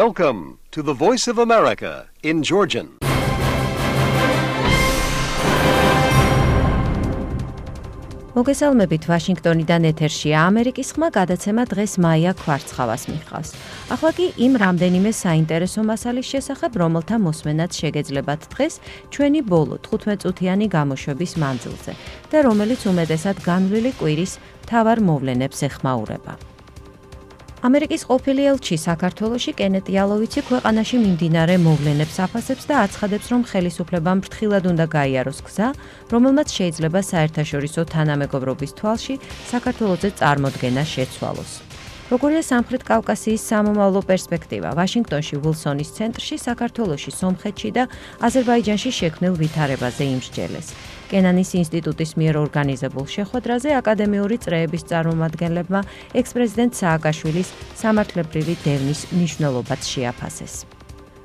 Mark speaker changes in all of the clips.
Speaker 1: Welcome to the Voice of America in Georgian.
Speaker 2: მოგესალმებით ვაშინგტონიდან ეთერშია ამერიკის ხმა გადაცემა დღეს მაია ქვარცხავას მიჰყავს. ახლა კი იმ რამდენიმე საინტერესო მასალის შესახებ, რომელთა მოსმენაც შეგეძლებათ დღეს ჩვენი ბოლო 15 წუთიანი გამოშვების მანძილზე და რომელიც უმეტესად განვლილი კვირის მთავარ მოვლენებს ეხმაურება. ამერიკის ყოფილი ელჩი საქართველოში კენეტ იალოვიცი ქვეყანაში მიმდინარე მოვლენებს აფასებს და აცხადებს, რომ ხელისუფლებამ ფრთხილად უნდა გაიაროს გზა, რომელმაც შეიძლება საერთაშორისო თანამეგობრობის თვალში საქართველოზე წარმოდგენა შეცვალოს. როგორია სამხრეთ კავკასიის სამომავლო პერსპექტივა? ვაშინგტონში ვილსონის ცენტრში, საქართველოში, სომხეთში და აზერბაიჯანში შექმნილ ვითარებაზე იმსჯელეს. კენანის ინსტიტუტის მიერ ორგანიზებულ შეხვედრაზე აკადემიური წრეების წარმომადგენლებმა ექს-პრეზიდენტ სააკაშვილის სამართლებრივი დევნის მნიშვნელობაც შეაფასეს.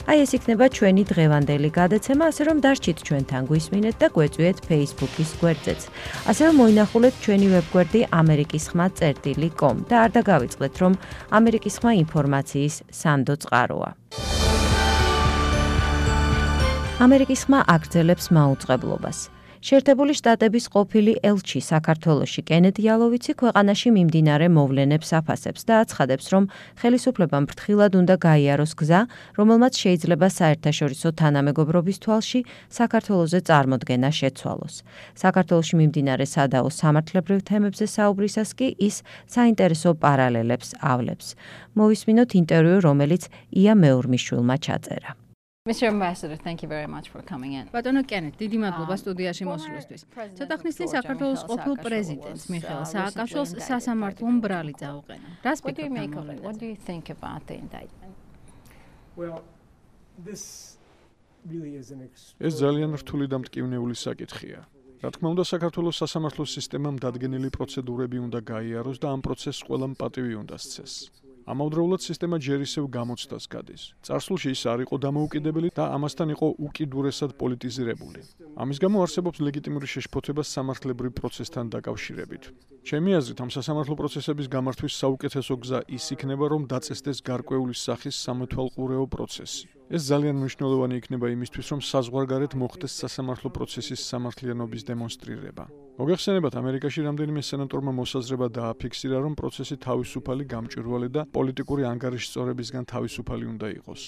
Speaker 2: აი ეს იქნება ჩვენი დღევანდელი გადაცემა, ასე რომ დარჩით ჩვენთან გვისმინეთ და გვეწვიეთ Facebook-ის გვერდზეც. ასევე მოინახულეთ ჩვენი ვებგვერდი amerikisxma.com და არ დაგავიწყდეთ, რომ ამერიკის ხმა ინფორმაციის სანდო წყაროა. ამერიკის ხმა აგრძელებს მაუწყებლობას. შეერთებული შტატების ყოფილი ელჩი საქართველოში კენეტ იალოვიცი ქვეყანაში მიმდინარე მოვლენებს აფასებს და აცხადებს, რომ ხელისუფლებამ ფრთხილად უნდა გაიაროს გზა, რომელმაც შეიძლება საერთაშორისო თანამეგობრობის თვალში საქართველოზე წარმოდგენა შეცვალოს. საქართველოში მიმდინარე სადაო სამართლებრივ თემებზე საუბრისას კი ის საინტერესო პარალელებს ავლებს. მოვისმინოთ ინტერვიუ, რომელიც ია მეურმიშვილმა ჩაწერა.
Speaker 3: Mr. Ambassador, thank you very much for coming in.
Speaker 4: ბატონო კენეტ, დიდი მადლობა სტუდიაში მოსვლისთვის. ცოტა ხნის წინ საქართველოს ყოფილ პრეზიდენტს მიხეილ სააკაშვილს სასამართლო მბრალი წაუყენა. რას ფიქრობთ?
Speaker 3: What do you think about the indictment?
Speaker 5: Well, this really is an
Speaker 6: ეს ძალიან რთული და მტკივნეული საკითხია. რა თქმა უნდა, საქართველოს სასამართლო სისტემამ დადგენილი პროცედურები უნდა გაიაროს და ამ პროცესს ყველა პატივი უნდა სცეს. ამავდროულად სისტემა ჯერ ისევ გამოცდას გადის. წარსულში ის არ იყო დამოუკიდებელი და ამასთან იყო უკიდურესად პოლიტიზირებული. ამის გამო არსებობს ლეგიტიმური შეშფოთება სამართლებრივ პროცესთან დაკავშირებით. ჩემი აზრით, ამ სასამართლო პროცესების გამართვის საუკეთესო გზა ის იქნება, რომ დაწესდეს გარკვეული სახის სამეთვალყურეო პროცესი. ეს ძალიან მნიშვნელოვანი იქნება იმისთვის, რომ საზღვარგარეთ მოხდეს სასამართლო პროცესის სამართლიანობის დემონსტრირება. მოგეხსენებათ, ამერიკაში რამდენიმე სენატორმა მოსაზრება დააფიქსირა, რომ პროცესი თავისუფალი, გამჭვირვალე და პოლიტიკური ანგარიშსწორებისგან თავისუფალი უნდა იყოს.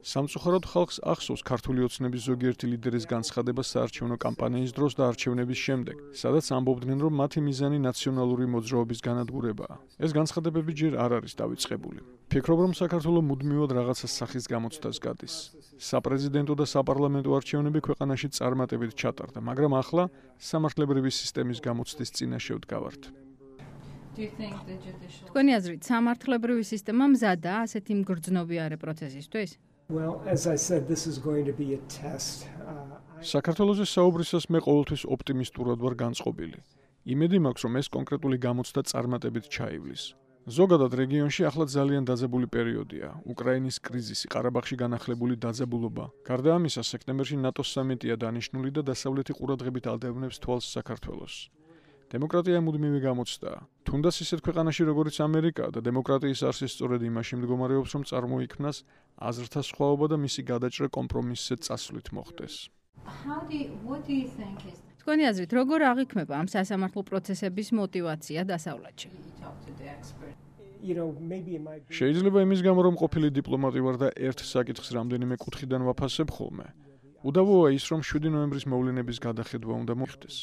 Speaker 6: სამწუხაროდ ხალხს ახსოვს ქართული ოცნების ზოგიერთი ლიდერის განცხადება საარჩევნო კამპანიის დროს და არჩევნების შემდეგ, სადაც ამბობდნენ, რომ მათი მიზანი ნაციონალური მოძრაობის განადგურებაა. ეს განცხადებები ჯერ არ არის დავიწყებული. ფიქრობ, რომ საქართველო მუდმივად რაღაცა სახის გამოცდას გადის. საპრეზიდენტო და საპარლამენტო არჩევნები ქვეყანაში წარმატებით ჩატარდა, მაგრამ ახლა სამართლებრივი სისტემის გამოცდის წინაშე ვდგავართ.
Speaker 4: თქვენი აზრით, სამართლებრივი სისტემა მზადაა ასეთი მგრძნობიარე პროცესისთვის?
Speaker 5: Well, as I said, this is going to be a test.
Speaker 6: საქართველოზე საუბრისას მე ყოველთვის ოპტიმისტურად ვარ განწყობილი. იმედი მაქვს, რომ ეს კონკრეტული გამოცდა წარმატებით ჩაივლის. ზოგადად რეგიონში ახლა ძალიან დაძაბული პერიოდია. უკრაინის კრიზისი, ყარაბაღში განახლებული დაძაბულობა. გარდა ამისა, სექტემბერში ნატოს სამიტია დანიშნული და დასავლეთი ყურადღებით ადევნებს თვალს საქართველოს. დემოკრატია მუდმივი გამოცდაა. თუნდაც ისეთ ქვეყანაში, როგორიც ამერიკა და დემოკრატიის არსი სწორედ იმაში მდგომარეობს, რომ წარმოიქმნას აზრთა სხვაობა და მისი გადაჭრა კომპრომისზე წასვლით მოხდეს.
Speaker 4: თქვენი აზრით, როგორ აღიქმება ამ სასამართლო პროცესების мотиваცია დასავლეთში?
Speaker 6: შეიძლება იმის გამო, რომ ყოფილი დიპლომატი ვარ და ერთ საკითხს რამდენიმე კუთხიდან ვაფასებ ხოლმე. უდავოა ის, რომ 7 ნოემბრის მოვლენების გადახედვა უნდა მოხდეს.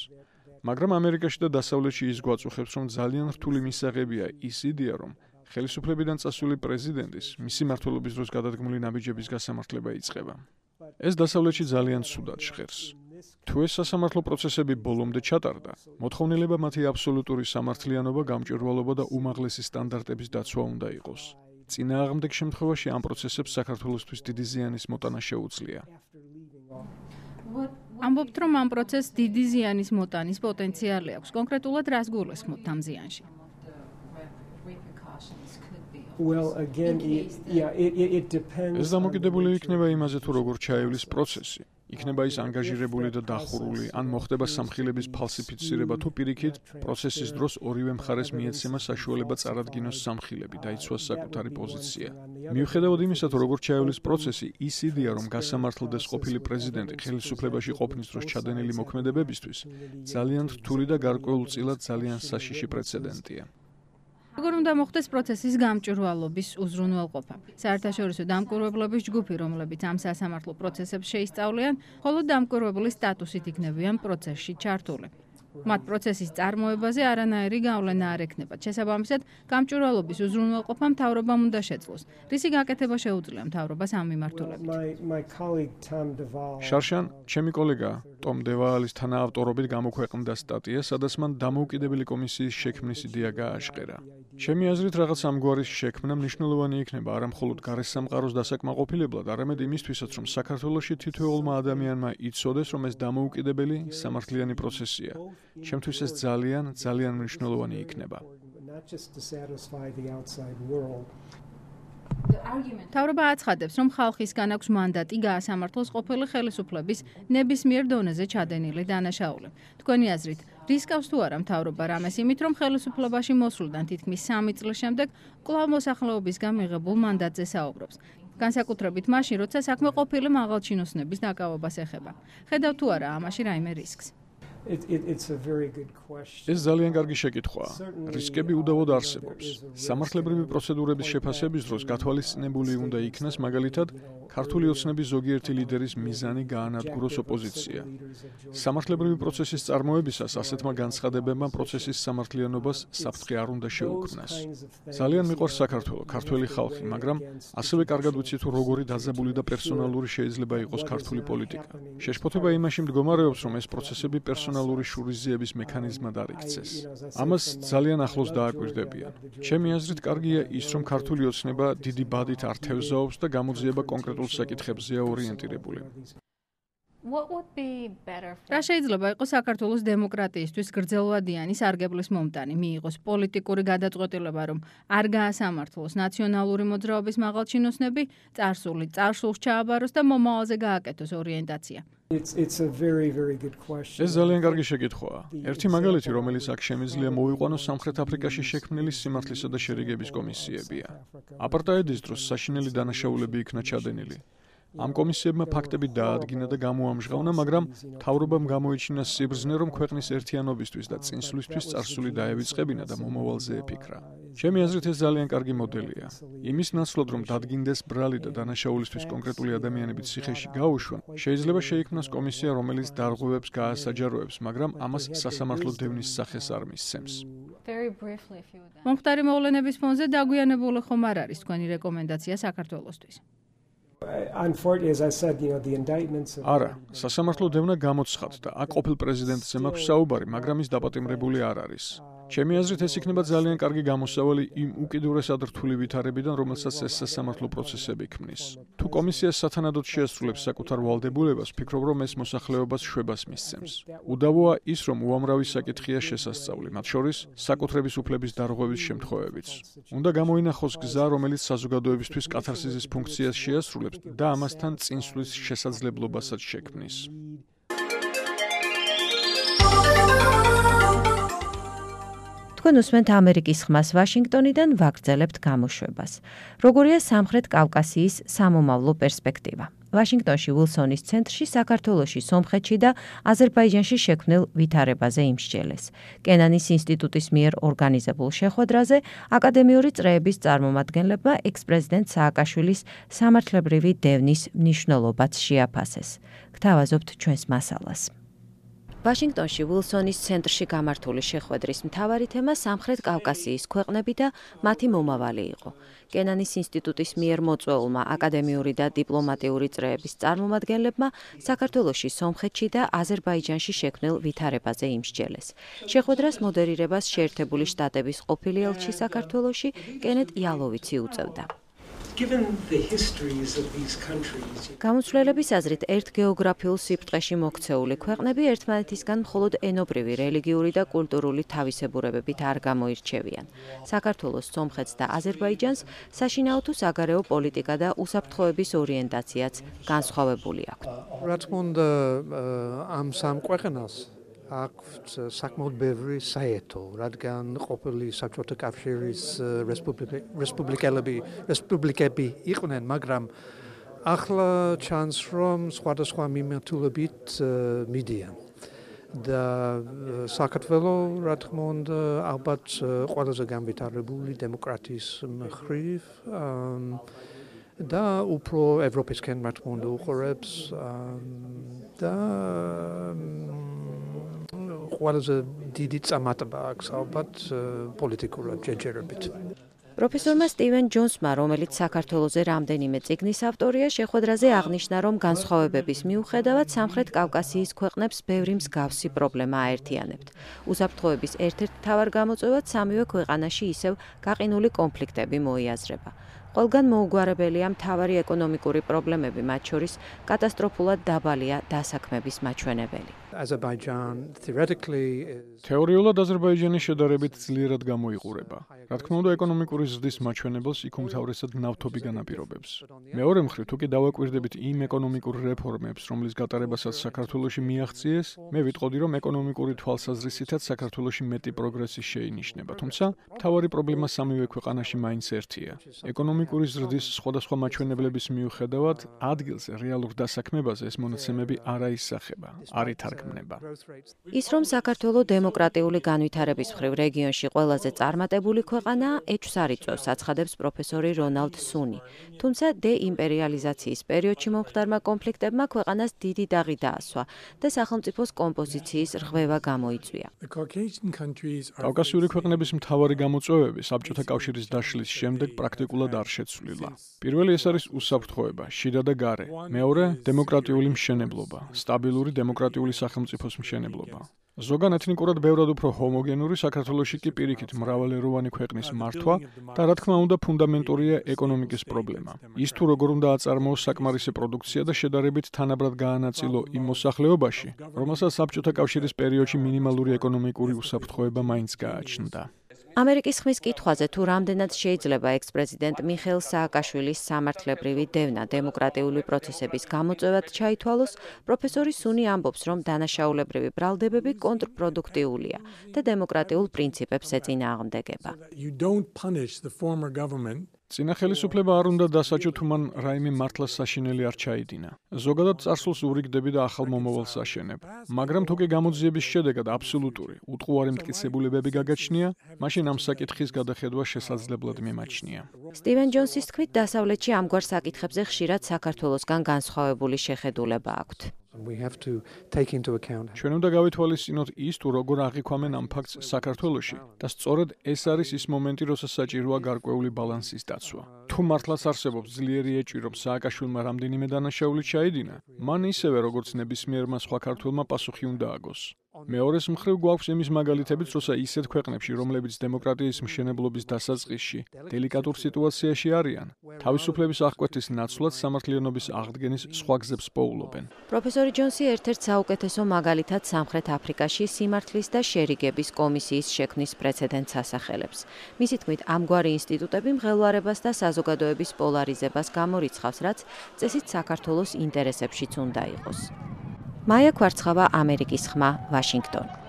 Speaker 6: მაგრამ ამერიკაში და დასავლეთში ის გვაწუხებს, რომ ძალიან რთული მისაღებია ის იდეა, რომ ხელისუფლებიდან წასული პრეზიდენტის მისი მმართველობის დროს გადადგმული ნაბიჯების გასამართლება იწყება. ეს დასავლეთში ძალიან ცუდად ჟღერს. თუ ეს სასამართლო პროცესები ბოლომდე ჩატარდა, მოთხოვნილება მათი აბსოლუტური სამართლიანობა, გამჭვირვალობა და უმაღლესი სტანდარტების დაცვა უნდა იყოს. წინააღმდეგ შემთხვევაში ამ პროცესებს საქართველოსთვის დიდი ზიანის მოტანა შეუძლია.
Speaker 4: ამბობთ, რომ ამ პროცესს დიდი ზიანის მოტანის პოტენციალი აქვს. კონკრეტულად რას გულისხმობთ ამ ზიანში?
Speaker 5: Well, again, it depends.
Speaker 6: ეს დამოკიდებული იქნება იმაზე, თუ როგორ ჩაივლის პროცესი. იქნება ის ანგაჟირებული და დახურული, ან მოხდება სამხილების ფალსიფიცირება თუ პირიქით, პროცესის დროს ორივე მხარეს მიეცემა საშუალება წარადგინოს სამხილები, დაიცვას საკუთარი პოზიცია. მიუხედავად იმისა, თუ როგორ ჩაივლის პროცესი, ის იდეა, რომ გასამართლდეს ყოფილი პრეზიდენტი ხელისუფლებაში ყოფნის დროს ჩადენილი მოქმედებებისთვის, ძალიან რთული და გარკვეულწილად ძალიან საშიში პრეცედენტია.
Speaker 4: როგორ უნდა მოხდეს პროცესის გამჭვირვალობის უზრუნველყოფა? საერთაშორისო დამკვირვებლების ჯგუფი, რომლებიც ამ სასამართლო პროცესებს შეისწავლიან, მხოლოდ დამკვირვებლის სტატუსით იქნებიან პროცესში ჩართული. მათ პროცესის წარმოებაზე არანაირი გავლენა არ ექნებათ. შესაბამისად, გამჭვირვალობის უზრუნველყოფა მთავრობამ უნდა შეძლოს. რისი გაკეთება შეუძლია მთავრობას ამ მიმართულებით?
Speaker 6: შარშან, ჩემი კოლეგა ტომ დევალის თანაავტორობით გამოქვეყნდა სტატია, სადაც მან დამოუკიდებელი კომისიის შექმნის იდეა გააჟღერა. ჩემი აზრით, რაღაც ამგვარის შექმნა მნიშვნელოვანი იქნება არა მხოლოდ გარესამყაროს დასაკმაყოფილებლად, არამედ იმისთვისაც, რომ საქართველოში თითოეულმა ადამიანმა იცოდეს, რომ ეს დამოუკიდებელი სამართლიანი პროცესია. ჩემთვის ეს ძალიან მნიშვნელოვანი იქნება.
Speaker 4: მთავრობა აცხადებს, რომ ხალხისგან აქვს მანდატი გაასამართლოს ყოფილი ხელისუფლების ნებისმიერ დონეზე ჩადენილი დანაშაული. თქვენი აზრით, რისკავს თუ არა მთავრობა რამეს იმით, რომ ხელისუფლებაში მოსვლიდან თითქმის 3 წლის შემდეგ კვლავ მოსახლეობისგან მიღებულ მანდატზე საუბრობს? განსაკუთრებით მაშინ, როცა საქმე ყოფილი მაღალჩინოსნების დაკავებას ეხება. ხედავთ თუ არა ამაში რაიმე რისკს?
Speaker 6: ეს ძალიან კარგი შეკითხვაა. რისკები უდავოდ არსებობს. სამართლებრივი პროცედურების შეფასების დროს გათვალისწინებული უნდა იქნას მაგალითად ქართული ოცნების ზოგიერთი ლიდერის მიზანი გაანადგუროს ოპოზიცია. სამართლებრივი პროცესის წარმოებისას ასეთმა განცხადებებმა პროცესის სამართლიანობას საფრთხე არ უნდა შეუქმნას. ძალიან მიყვარს საქართველო, ქართველი ხალხი, მაგრამ ასევე კარგად ვიცი თუ როგორი დაძაბული და პერსონალური შეიძლება იყოს ქართული პოლიტიკა. შეშფოთება იმაში მდგომარეობს, რომ ეს პროცესები პერსონალური შურიზიების მექანიზმად არ იქცეს. ამას ძალიან ახლოს დააკვირდებიან. ჩემი აზრით, კარგია ის, რომ ქართული ოცნება დიდი ბადით არ თევზაობს და გამოძიება კონკრეტულ საკითხებზეა ორიენტირებული.
Speaker 4: რა შეიძლება იყოს საქართველოს დემოკრატიისთვის გრძელვადიანი სარგებლის მომტანი, მიიღოს პოლიტიკური გადაწყვეტილება, რომ არ გაასამართლოს ნაციონალური მოძრაობის მაღალჩინოსნები, წარსულს ჩააბაროს და მომავალზე გააკეთოს ორიენტაცია?
Speaker 6: ეს ძალიან კარგი შეკითხვაა. ერთი მაგალითი, რომელიც აქ შემიძლია მოვიყვანოს სამხრეთ აფრიკაში შექმნილი სიმართლისა და შერიგების კომისიებია. აპარტაიდის დროს საშინელი დანაშაულები იქნა ჩადენილი. ამ კომისიებმა ფაქტები დაადგინა და გამოამჟღავნა, მაგრამ მთავრობამ გამოიჩინა სიბრძნე, რომ ქვეყნის ერთიანობისთვის და წინსვლისთვის წარსული დაევიწყებინა და მომავალზე ეფიქრა. ჩემი აზრით, ეს ძალიან კარგი მოდელია. იმის ნაცვლად, რომ დადგინდეს ბრალი და დანაშაულისთვის კონკრეტული ადამიანები ციხეში გაუშვან, შეიძლება შეიქმნას კომისია, რომელიც დარღვევებს გაასაჯაროებს, მაგრამ ამას სასამართლო დევნის სახეს არ მისცემს.
Speaker 4: მომხდარი მოვლენების ფონზე დაგვიანებული ხომ არ არის თქვენი რეკომენდაცია საქართველოსთვის?
Speaker 6: არა, სასამართლო დევნა გამოცხადდა და აქ ყოფილ პრეზიდენტზე მაქვს საუბარი, მაგრამ ის დაპატიმრებული არ არის. ჩემი აზრით, ეს იქნება ძალიან კარგი გამოსავალი იმ უკიდურესად რთული ვითარებიდან, რომელსაც ეს სასამართლო პროცესები ქმნის. თუ კომისია სათანადოდ შეასრულებს საკუთარ ვალდებულებას, ვფიქრობ, რომ ეს მოსახლეობას შვებას მისცემს. უდავოა ის, რომ უამრავი საკითხია შესასწავლი, მათ შორის საკუთრების უფლების დარღვევის შემთხვევებიც. უნდა გამოინახოს გზა, რომელიც საზოგადოებისთვის კათარსისის ფუნქციას შეასრულებს და ამასთან წინსვლის შესაძლებლობასაც შექმნის.
Speaker 2: თქვენ უსმენთ ამერიკის ხმას ვაშინგტონიდან ვაგრძელებთ გამოშვებას. როგორია სამხრეთ კავკასიის სამომავლო პერსპექტივა? ვაშინგტონში ვილსონის ცენტრში საქართველოში, სომხეთში და აზერბაიჯანში შექმნილ ვითარებაზე იმსჯელეს. კენანის ინსტიტუტის მიერ ორგანიზებულ შეხვედრაზე აკადემიური წრეების წარმომადგენლებმა ექს-პრეზიდენტ სააკაშვილის სამართლებრივი დევნის მნიშვნელობაც შეაფასეს. გთავაზობთ ჩვენს მასალას. ვაშინგტონში ვილსონის ცენტრში გამართული შეხვედრის მთავარი თემა სამხრეთ კავკასიის ქვეყნები და მათი მომავალი იყო. კენანის ინსტიტუტის მიერ მოწვეულმა აკადემიური და დიპლომატიური წრეების წარმომადგენლებმა საქართველოში, სომხეთში და აზერბაიჯანში შექმნილ ვითარებაზე იმსჯელეს. შეხვედრას მოდერირებას შეერთებული შტატების ყოფილი ელჩი საქართველოში კენეთ იალოვიცი უწევდა.
Speaker 5: given the histories of these countries.
Speaker 2: გამოცვლელების აზრით, ერთ გეოგრაფიულ სიბრტყეში მოქცეული ქვეყნები ერთმანეთისგან მხოლოდ ენობრივი, რელიგიური და კულტურული თავისებურებებით არ გამოირჩევიან. საქართველოს, სომხეთს და აზერბაიჯანს საშინაო თუ საგარეო პოლიტიკა და უსაფრთხოების ორიენტაციაც განსხვავებული აქვთ.
Speaker 7: რა თქმა უნდა, ამ სამ ქვეყანას აქვთ საკმაოდ ბევრი საერთო, რადგან ყოფილი საბჭოთა კავშირის რესპუბლიკები იყვნენ, მაგრამ ახლა ჩანს, რომ სხვადასხვა მიმართულებით მიდიან. და საქართველოს, რა თქმა უნდა, ალბათ ყველაზე განვითარებული დემოკრატიის მხრივ და უფრო ევროპისკენ, რა თქმა უნდა, უყურებს და ყველაზე დიდი წარმატება აქვს ალბათ პოლიტიკურად ჯერჯერობით.
Speaker 2: პროფესორმა სტივენ ჯონსმა, რომელიც საქართველოზე რამდენიმე წიგნის ავტორია, შეხვედრაზე აღნიშნა, რომ განსხვავებების მიუხედავად სამხრეთ კავკასიის ქვეყნებს ბევრი მსგავსი პრობლემა აერთიანებთ. უსაფრთხოების ერთ-ერთ მთავარ გამოწვევად სამივე ქვეყანაში ისევ გაყინული კონფლიქტები მოიაზრება. ყველგან მოუგვარებელია მთავარი ეკონომიკური პრობლემები, მათ შორის კატასტროფულად დაბალია დასაქმების მაჩვენებელი.
Speaker 6: თეორიულად აზერბაიჯანი შედარებით ძლიერად გამოიყურება. რა თქმა უნდა, ეკონომიკური ზრდის მაჩვენებელს იქ უმთავრესად ნავთობი განაპირობებს. მეორე მხრივ, თუ კი დავაკვირდებით იმ ეკონომიკურ რეფორმებს, რომლის გატარებასაც საქართველოში მიაღწიეს, მე ვიტყოდი, რომ ეკონომიკური თვალსაზრისითაც საქართველოში მეტი პროგრესი შეინიშნება, თუმცა მთავარი პრობლემა სამივე ქვეყანაში მაინც ერთია. ეკონომიკური ზრდის სხვადასხვა მაჩვენებლების მიუხედავად, ადგილზე რეალურ დასაქმებაზე ეს მონაცემები არ აისახება, არ ითარგმნება.
Speaker 2: ის, რომ საქართველოს დემოკრატიული განვითარების მხრივ რეგიონში ყველაზე წარმატებული ქვეყანაა, ეჭვს არ იწვევს, აცხადებს პროფესორი რონალდ სუნი. თუმცა დეიმპერიალიზაციის პერიოდში მომხდარმა კონფლიქტებმა ქვეყანას დიდი დაღი დაასვა და სახელმწიფოს კომპოზიციის რღვევა გამოიწვია.
Speaker 6: კავკასიური ქვეყნების მთავარი გამოწვევები საბჭოთა კავშირის დაშლის შემდეგ პრაქტიკულად არ შეცვლილა. პირველი ეს არის უსაფრთხოება, შიდა და გარე. მეორე, დემოკრატიული მშენებლობა, სტაბილური დემოკრატიული სახელმწიფოს მშენებლობა. ზოგან ეთნიკურად ბევრად უფრო ჰომოგენური, საქართველოში კი პირიქით მრავალეროვანი ქვეყნის მართვა და რა თქმა უნდა ფუნდამენტურია ეკონომიკის პრობლემა. ის თუ როგორ უნდა აწარმოოს საკმარისი პროდუქცია და შედარებით თანაბრად გაანაწილო იმ მოსახლეობაში, რომელსაც საბჭოთა კავშირის პერიოდში მინიმალური ეკონომიკური უსაფრთხოება მაინც გააჩნდა.
Speaker 2: ამერიკის ხმის კითხვაზე თუ რამდენად შეიძლება ექს-პრეზიდენტ მიხეილ სააკაშვილის სამართლებრივი დევნა დემოკრატიული პროცესების გამოწვევად ჩაითვალოს, პროფესორი სუნი ამბობს, რომ დანაშაულებრივი ბრალდებები კონტრპროდუქტიულია და დემოკრატიულ პრინციპებს ეწინააღმდეგება.
Speaker 6: წინა ხელისუფლება არ უნდა დასაჯო, თუ მან რაიმე მართლას საშინელი არ ჩაიდინა. ზოგადად წარსულს ურიგდები და ახალ მომავალს აშენებ. მაგრამ თუ კი გამოძიების შედეგად აბსოლუტური, უტყუარი მტკიცებულებები გაგაჩნია, მაშინ ამ საკითხის გადახედვა შესაძლებლად მიმაჩნია.
Speaker 2: სტივენ ჯონსის თქმით, დასავლეთში ამგვარ საკითხებზე ხშირად საქართველოსგან განსხვავებული შეხედულება აქვთ.
Speaker 6: ჩვენ უნდა გავითვალისწინოთ ის, თუ როგორ აღიქვამენ ამ ფაქტს საქართველოში და სწორედ ეს არის ის მომენტი, როცა საჭიროა გარკვეული ბალანსის დაცვა. თუ მართლაც არსებობს ძლიერი ეჭვი, რომ სააკაშვილმა რამდენიმე დანაშაული ჩაიდინა, მან ისევე როგორც ნებისმიერმა სხვა ქართველმა პასუხი უნდა აგოს. მეორეს მხრივ გვაქვს იმის მაგალითებიც, როცა ისეთ ქვეყნებში, რომლებიც დემოკრატიის მშენებლობის დასაწყისში დელიკატურ სიტუაციაში არიან, თავისუფლების აღკვეთის ნაცვლად სამართლიანობის აღდგენის სხვა გზებს პოულობენ.
Speaker 2: პროფესორი ჯონსი ერთ-ერთ საუკეთესო მაგალითად სამხრეთ აფრიკაში სიმართლის და შერიგების კომისიის შექმნის პრეცედენტს ასახელებს. მისი თქმით, ამგვარი ინსტიტუტები მღელვარებას და საზოგადოების პოლარიზებას გამორიცხავს, რაც წესით საქართველოს ინტერესებშიც უნდა იყოს. მაია კვარცხავა, ამერიკის ხმა, ვაშინგტონი.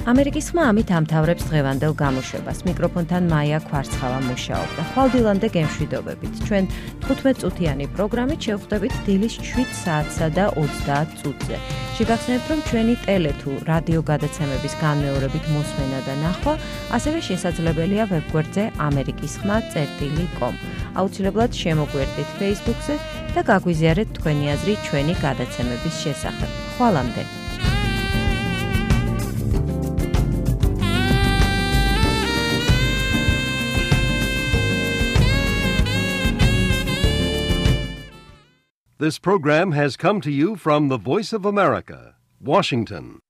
Speaker 2: ამერიკის ხმა ამით ამთავრებს დღევანდელ გამოშვებას. მიკროფონთან მაია კვარცხავა მუშაობდა. ხვალდილამდე გემშვიდობებით. ჩვენ 15 წუთიანი პროგრამით შევხვდებით დილის 7 საათსა და 30 წუთზე. შეგახსენებთ, რომ ჩვენი ტელე თუ რადიო გადაცემების განმეორებით მოსმენა და ნახვა ასევე შესაძლებელია ვებგვერდზე amerikisxma.com. აუცილებლად შემოგვერდით Facebook-ზე და გაგვიზიარეთ თქვენი აზრი ჩვენი გადაცემების შესახებ. ხვალამდე.
Speaker 1: This program has come to you from the Voice of America, Washington.